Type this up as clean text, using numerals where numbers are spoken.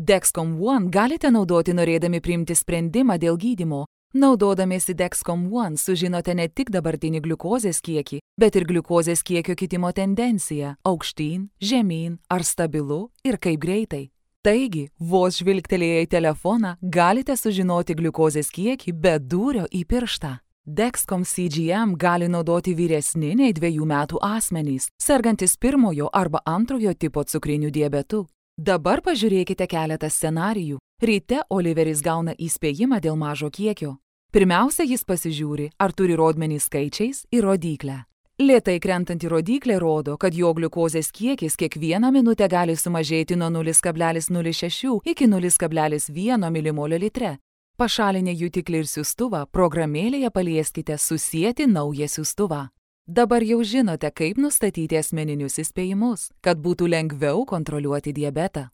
Dexcom One galite naudoti norėdami priimti sprendimą dėl gydymo. Naudodamiesi Dexcom One sužinote ne tik dabartinį gliukozės kiekį, bet ir gliukozės kiekio kitimo tendenciją – aukštyn, žemyn, ar stabilu ir kaip greitai. Taigi, vos žvilgtelėję į telefoną, galite sužinoti gliukozės kiekį be dūrio į pirštą. Dexcom CGM gali naudoti vyresni nei 2 metų asmenys, sergantis 1 arba 2 tipo cukriniu diabetu. Dabar pažiūrėkite keletą scenarijų. Ryte Oliveris gauna įspėjimą dėl mažo kiekio. Pirmiausia, jis pasižiūri, ar turi rodmenį skaičiais ir rodyklę. Lėtai krentanti rodyklė rodo, kad jo gliukozės kiekis kiekvieną minutę gali sumažėti nuo 0,06 iki 0,1 milimolio litre. Pašalinę jutiklį ir siųstuvą, programėlėje palieskite susieti naują siųstuvą. Dabar jau žinote, kaip nustatyti asmeninius įspėjimus, kad būtų lengviau kontroliuoti diabetą.